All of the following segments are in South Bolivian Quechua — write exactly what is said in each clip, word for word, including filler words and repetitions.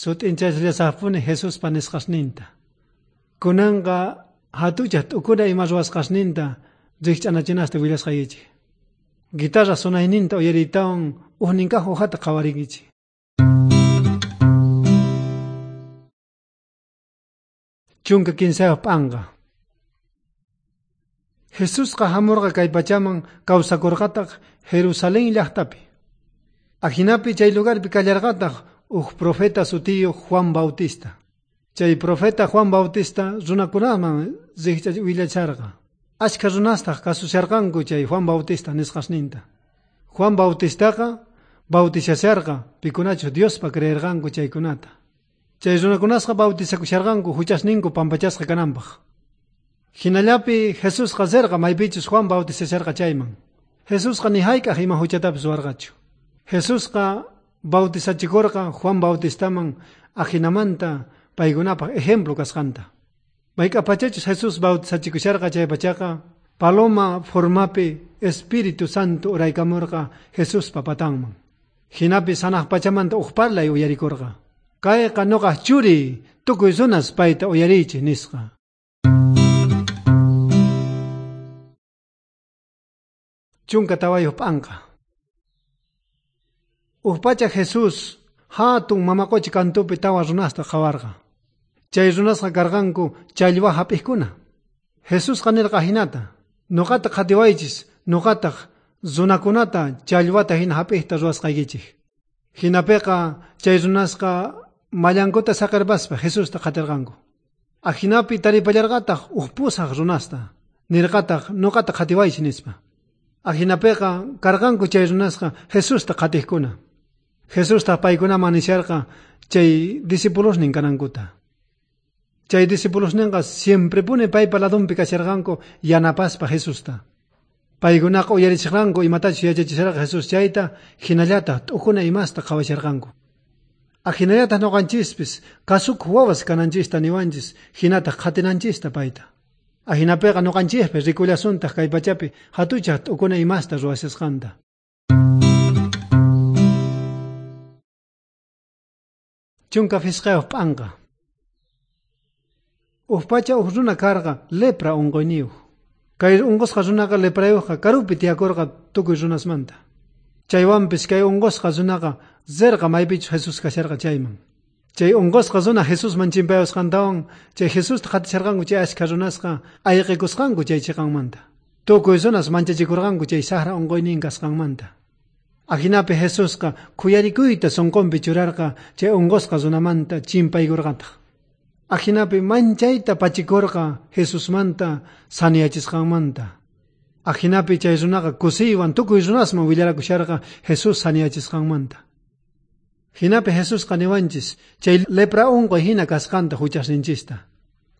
Sut'inchashallasajpuni Jesuspa nisqasninta. Kunanqa hatuchaj t'ukuna ima ruwasqasninta rijch'anachinasta willasqaykichej. Guitarra sonayninta uyariytawan ujninkaj hojata qhawarinkichej. Chunka kinsayuq p'anqa. Jesusqa hamurqa kay pachaman kawsakurqataq Jerusalén llaqtapi. Ajinapi chay lugarpi kallarqataq uj profeta sutiyuq Juan Bautista. Chay profeta Juan Bautista runakunaman willacharqa. Ashkha runastaq kasusharqanku chay Juan Bautista nisqasninta. Juan Bautistaqa bautizasharqa pikunachus Diospa creerqanku chaykunata. Chay runakunasqa bautizakusharqanku huchasninku pampachasqa kananpaq. Hinallapi Jesusqa rirqa maypichus Juan bautizasharqa chayman. Jesusqa ni hayk'aq ima huchatapis ruwarqachu. Jesusqa bautizachikurqa Juan Bautistaman ajinamanta paykunapaq ejemplo kasqanta. Mayk'apachachus Jesús bautizachikusharqa chay pachaqa paloma formapi Espíritu Santo uraykamurqa Jesuspa patanman. Hinapi sanaq pachamanta uj parlay uyarikurqa. Kayqa nuqaj churiy, tukuy runas payta uyariychej nisqa. Chunka tawayuq p'anqa. Uj pacha Jesús hatun mama qocha kantupi tawa runasta qhawarqa. Chay runasqa karqanku challwa hap'iqkuna. Jesusqa nirqa hinata: nuqata qhatiwaychis, nuqataq runakunata challwata hina hap'iqta ruwasqaykichej. Hinapiqa chay runasqa mallankuta saqirpaspa Jesusta qatirqanku. Ajinapi taripallarqataq uj pusaq runasta, nirqataq nuqata qhatiwaychis nispa. Ajinapiqa karqanku chay runasqa Jesusta qhatiqkuna. Jesusta paykunaman nisharqa chay discipulosnin kanankuta. Chay discipulosninqa siemprepuni paypa ladunpi kasharqanku yanapaspa Jesusta. Paykunaqa uyarichisqanku imatachus yachachisharqa Jesús chayta, hinallataq t'ukuna imasta qhawasharqanku. Ajinallataq nuqanchispis kasukuq wawas kananchista niwanchis, hinataq qhatinanchista payta. Ajinapiqa nuqanchispis rikullasuntaq kay pachapi hatuchaj t'ukuna imasta ruwashasqanta. Chunka phisqayuq p'anqa. Uj pacha uj runa karqa lepra unquyniyuq. Kay unqusqa runaqa leprayuqqa karupi tiyakurqa tukuy runasmanta. Chaywanpis kay unqusqa runaqa rirqa maypichus Jesús kasharqa chayman. Chay unqusqa runa Jesusman chimpayusqantawan chay Jesusta qatisharqanku chay ashkha runasqa ayqikusqanku chay chiqanmanta. Tukuy runas manchachikurqanku chay saqra unquynin kasqanmanta. Ajinapi Jesusqa khuyarikuyta sunqunpi churarqa chay unqusqa runamanta chimpaykurqataq. Ajinapi manchayta pachikurqa Jesusmanta saniyachisqanmanta. Ajinapi chay runaqa kusiywan tukuy runasman willarakusharqa Jesús saniyachisqanmanta. Hinapi Jesusqa niwanchis chay lepra unquy hina kasqanta huchasninchista.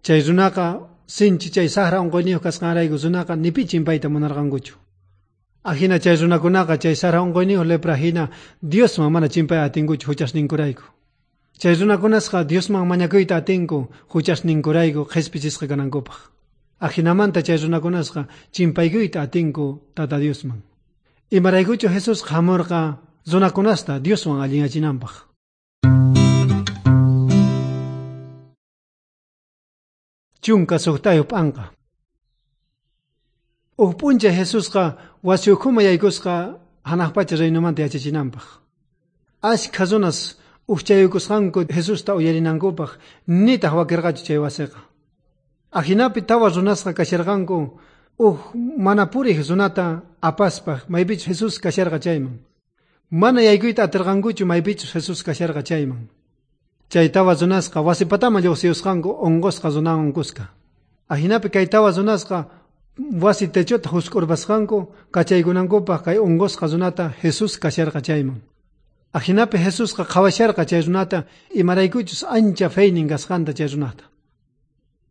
Chay runaqa sinchi chay saqra unquyniyuq kasqanrayku runaqa ni pi chimpayta munarqankuchu. Ajina chay runakunaqa chay saqra unquyniyuq lepra hina Diosman mana chimpay atinkuchu huchasninkurayku. Chay runakunasqa Diosman mañakuyta atinku huchasninkurayku qhispichisqa kanankupaq. Ajinamanta chay runakunasqa chimpaykuyta atinku Tata Diosman. Imaraykuchu Jesús hamurqa runakunasta Dioswan allinyachinanpaq. Chunka suqtayuq p'anqa. Uj p'unchay Jesusqa wasi ukhuman yaykusqa hanaq pacha reinomanta yachachinanpaq. Ashkha runas ujchayukusqanku Jesusta uyarinankupaq nitaq wakirqachu chay wasiqa. Ajinapi tawa runasqa kasharqanku uj mana puriq runata apaspa maypichus Jesús kasharqa chayman. Mana yaykuyta atirqankuchu maypichus Jesús kasharqa chayman. Chay tawa runasqa wasi pataman lluqsiyusqanku unqusqa runawan kuska. Ajinapi kay tawa runasqa wasi techota husk'urpasqanku kachaykunankupaq kay unqusqa runata Jesús kasharqa chayman. Ajinapi Jesusqa qhawasharqa chay runata imaraykuchus ancha feynin kasqanta chay runata.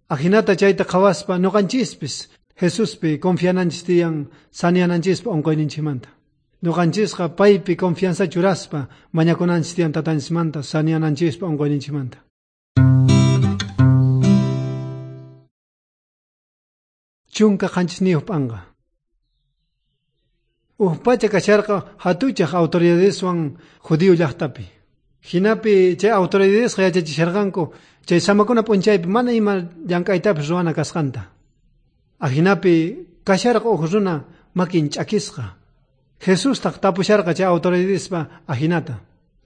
Ajinata chayta qhawaspa nuqanchispis Jesuspi confiananchis tiyan saniananchispa unquyninchikmanta. Nuqanchisqa paypi confianza churaspa mañakunanchis tiyan tatanchismanta saniananchispa unquyninchikmanta. Chunka qanchisniyuq p'anqa. Uj pacha kasharqa hatuchaj autoridadeswan judío llaqtapi. Jinapi chay autoridadesqa yachachisharqanku chay samakuna p'unchaypi mana ima llank'aytapis ruwana kasqanta. Ajinapi kasharqa uj runa makin ch'akisqa. Jesustaq tapusharqa chay autoridadespa ajinata.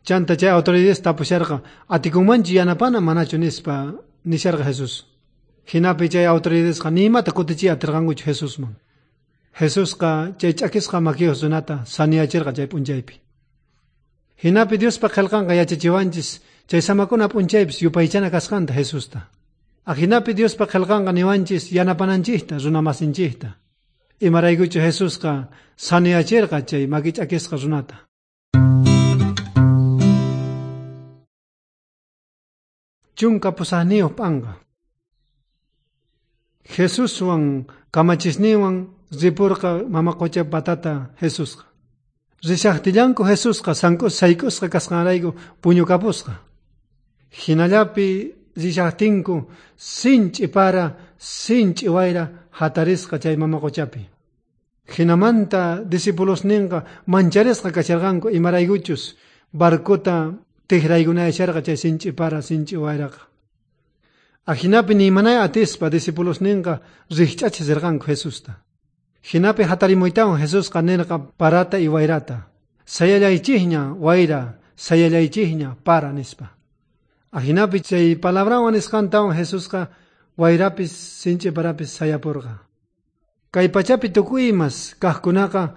Chanta chay autoridades tapusharqa atikunmanchu yanapana manachu nispa nisharqa Jesús. Jinapi chay autoridadesqa ni imata kutichiy atirqankuchu Jesusman. Jesusqa chay ch'akisqa makiyuq runata saniyachirqa chay p'unchaypi. Jinapi Diospa qillqanqa yachachiwanchis chay samakuna p'unchaypis yupaychana kasqanta Jesusta. Ajinapi Diospa qillqanqa niwanchis yanapananchikta runamasinchikta. Imaraykuchu Jesusqa saniyachirqa chay maki ch'akisqa runata. Chunka pusaqniyuq p'anqa. Jesuswan kamachisninwan ripurqa mama qucha patata Jesusqa. Rishaqtillanku Jesusqa sayk'usqa kasqanrayku puñukapusqa. Jinallapi rishaqtinku sinch'i para, sinch'i wayra hatarisqa chay mama quchapi. Jinamanta discipulosninqa mancharisqa kasharqanku imaraykuchus barcota tijraykunayasharqa chay sinch'i para, sinch'i wayraqa. Ajinapi ni imanay atispa discipulosninqa rijch'achisirqanku Jesusta. Jinapi hatarimuytawan Jesusqa nirqa parata y wayrata. Sayallaychikña wayra, sayallaychikña para nispa. Ajinapi chay palabrawan nisqantawan Jesusqa wayrapis sinch'i parapis sayapurqa. Kay pachapi tukuy imas kaqkunaqa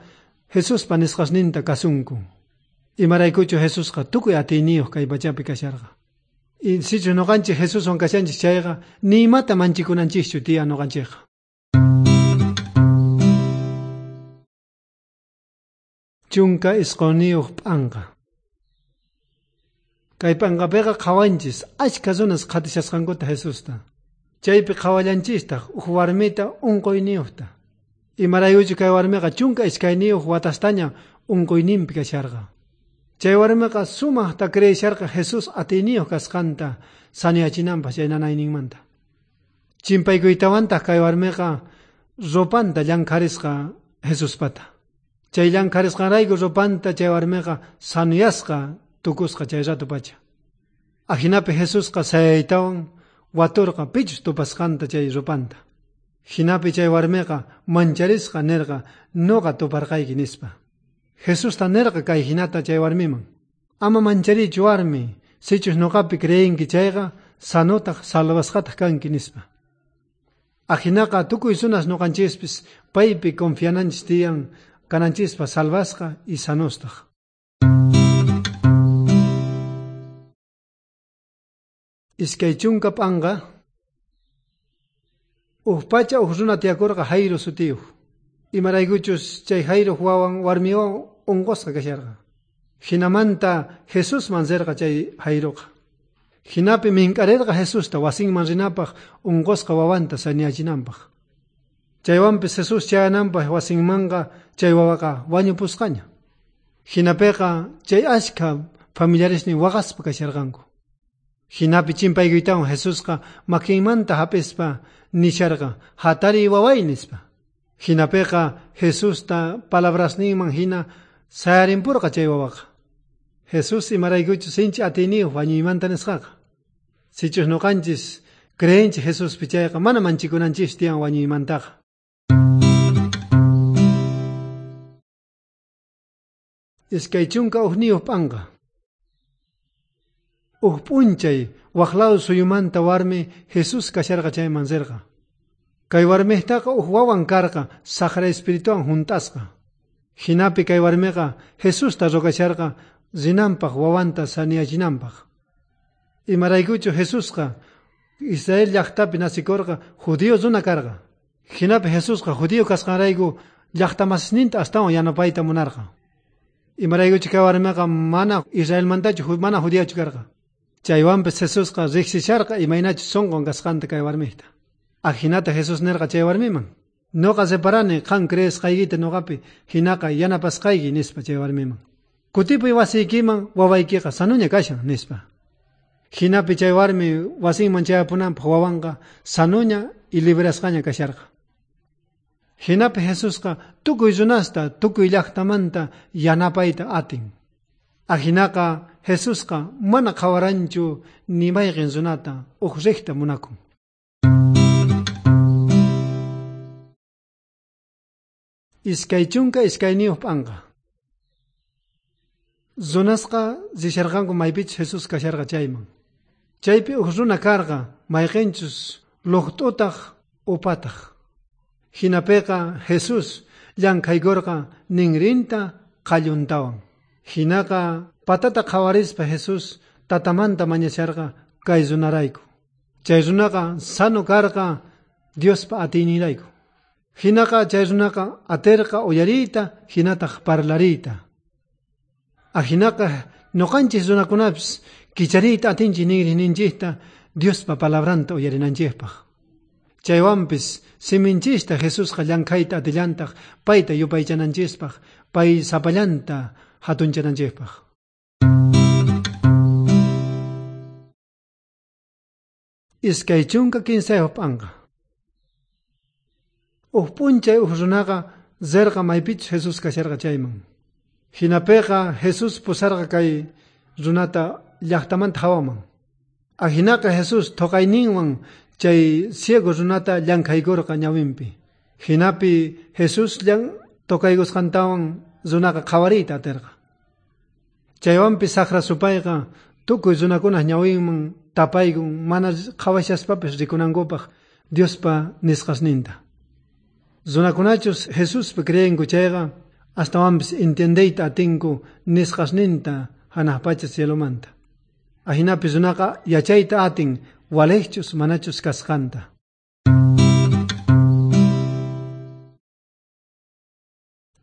Jesuspa nisqasninta kasunku. Imaraykuchu Jesusqa tukuy atiyniyuq kay pachapi kasharqa. Y sichus noqanchik Jesuswan kashanchik chayqa ni imata manchikunanchikchu tiyan noqanchikqa. Chunka isquniyuq p'anqa. Kay p'anqapiqa qhawanchis achka runas qhatishasqankuta Jesusta. Chaypi qhawallanchistaq uj warmita unquyniyuqta. Imaraykuchu kay warmiqa chunka iskayniyuq watastaña unquyninpi kasharqa. Chay warmiqa sumaqta creesharqa Jesús atiyniyuq kasqanta saniyachinanpaq chay nanayninmanta. Chimpaykuytawantaq kay warmiqa ropanta llankharisqa Jesuspata. Chay llankharisqanrayku ropanta chay warmiqa sanuyasqa tukusqa chay rato pacha. Ajinapi Jesusqa sayaytawan waturqa pichus tupasqanta chay ropanta. Jinapi chay warmiqa mancharisqa nirqa noqa tuparqayki nispa. Jesusta nirqa kay jinata chay warmiman. Ama mancharichu warmi, sichus noqapi creenki chayqa sanutaq salvasqataq kanki nispa. Ajinaqa tukuy runas noqanchispis paypi confiananchis tiyan kananchispa salvasqa y sanustaq. Iskay chunka p'anqa. Uj pacha uj runa tiyakurqa Jairo sutiyuq. Imaraykuchus chay Jairoq wawan warmiwan unqusqa kasharqa. Jinamanta Jesusman rirqa chay Jairoqa. Jinapi mink'arirqa Jesusta wasinman rinapaq unqusqa wawanta saniyachinanpaq. Chaywanpis Jesús chayananpaq wasinmanqa chay wawaqa wañupusqaña. Jinapiqa chay achka familiaresnin waqaspa kasharqanku. Jinapi chimpaykuytawan Jesusqa makinmanta hap'ispa nisharqa hatariy waway nispa. Jinapiqa Jesusta palabrasninman hina sayarinpurqa chay wawaqa. Jesús imaraykuchu sinchi atiyniyuq wañuymanta nisqaqa. Sichus noqanchis creenchik Jesuspi chayqa mana manchikunanchis tiyan wañuymantaqa. Iskay chunka ujniyuq p'anqa. Uj p'unchay waq lado suyumanta warmi Jesús kasharqa chayman rirqa. Kay warmijtaqa uj wawan karqa saqra espirituwan junt'asqa. Jinapi kay warmiqa Jesusta rogacharqa rinanpaq wawanta saniyachinanpaq. Imaraykuchu Jesusqa Israel llaqtapi nasikurqa judío runa karqa. Jinapi Jesusqa judío kasqanrayku llaqtamasisninta astawan yanapayta munarqa. Imaraykuchu kay warmiqa mana Israelmantachu mana judíochu karqa. Chaywanpis Jesusqa riqsisharqa imaynachu sunqun kasqanta kay warmijta. Ajinata Jesús nirqa chay warmiman. Noqa reparani qan creesqaykita noqapi hinaqa yanapasqayki nispa chay warmiman. Kutipuy wasiykiman wawaykiqa sanuña kashan nispa. Jinapi chay warmi wasinman chayapunanpaq wawanqa sanuña y librasqaña kasharqa. Jinapi Jesusqa tukuy runasta tukuy llaqtamanta yanapayta atin. Ajinaqa Jesusqa mana qhawaranchu ni mayqin runata uj rejta munakun. Iskay chunka iskayniyuq p'anqa. Runasqa risharqanku maypichus Jesús kasharqa chayman. Chaypi uj runa karqa mayqinchus luqt'utaq upataq. Hinapiqa Jesús llankhaykurqa ninrinta qalluntawan. Hinaqa patata qhawarispa Jesús tatamanta mañasharqa kay runarayku. Chay runaqa sano karqa Diospa atiyninrayku. Hinaqa chay runaqa aterqa uyariyta hinataq parlariyta. Ajinaqa noqanchis runakunapis kichariyta atinchis ninrininchikta Diospa palabranta uyarinanchikpaq. Chaywanpis siminchista Jesusqa llankhayta atillantaq payta yupaychananchispaq, pay sapallanta hatunchananchikpaq. Iskay chunka kinsayuq p'anqa. Uj p'unchay uj runaqa rirqa maypichus Jesús kasharqa chayman. Hinapiqa Jesús pusarqa kay runata llaqtamanta hawaman. Ajinaqa Jesús thoqayninwan chay ciego runata llankhaykurqa ñawinpi. Hinapi Jesús llan tocaykusqantawan runaqa qhawariyta atirqa. Chaywanpis saqra supayqa tukuy runakunaq ñawinman tapaykun mana qhawashaspapis rikunankupaq Diospa nisqasninta. Runakunachus Jesuspi creenku chayqa astawanpis entiendeyta atinku nisqasninta hanaq pacha cielomanta. Ajinapi runaqa yachayta atin walejchus manachus kasqanta.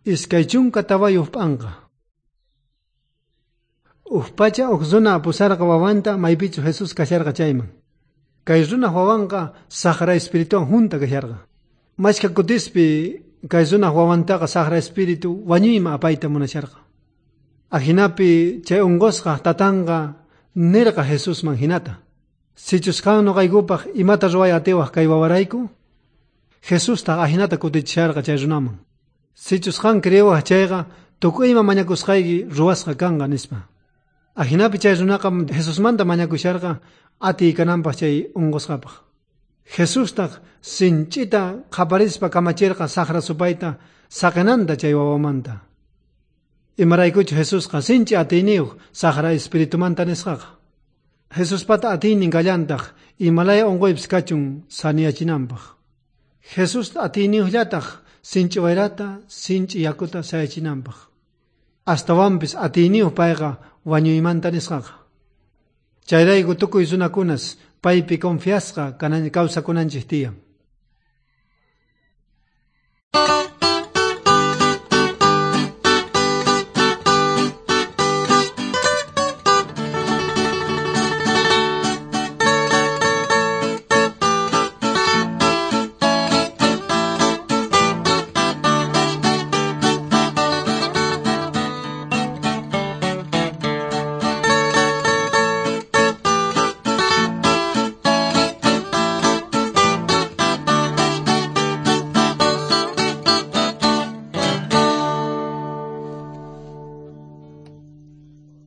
Iskay chunka tawayuq p'anqa. Uj pacha uj runa pusarqa wawanta maypichus Jesús kasharqa chayman. Kay runaj wawanqa saqra espirituwan junta kasharqa. Mashka kutispi kay runaj wawantaqa saqra espíritu wañuyman apayta munasharqa. Ajinapi chay unqusqa tatanqa nirqa Jesusman hinata: Sichus qan noqaykupaq imata ruway atiwaq kay wawarayku? Jesustaq ajinata kutichisharqa chay runaman: Sichus qan creewaq chayqa tukuy ima mañakusqayki ruwasqa kanqa, nispa. Ajinapi chay runaqa Jesusmanta mañakusharqa atiy kananpaq chay unqusqapaq. Jesustaq sinch'ita qhaparispa kamachirqa saqra supayta saqinanta chay wawamanta. Imaraykuchu Jesusqa sinch'i atiyniyuq saqra espiritumanta nisqaqa. Jesuspata atiynin kallantaq imalaya unquypis kachun saniyachinanpaq. Jesús atiyniyuqllataq sinch'i wayrata, sinch'i yakuta sayachinanpaq. Astawanpis atiyniyuq payqa wañuymanta nisqaqa. Chayrayku tukuy runakunas paypi confiasqa kawsakunanchik tiyan.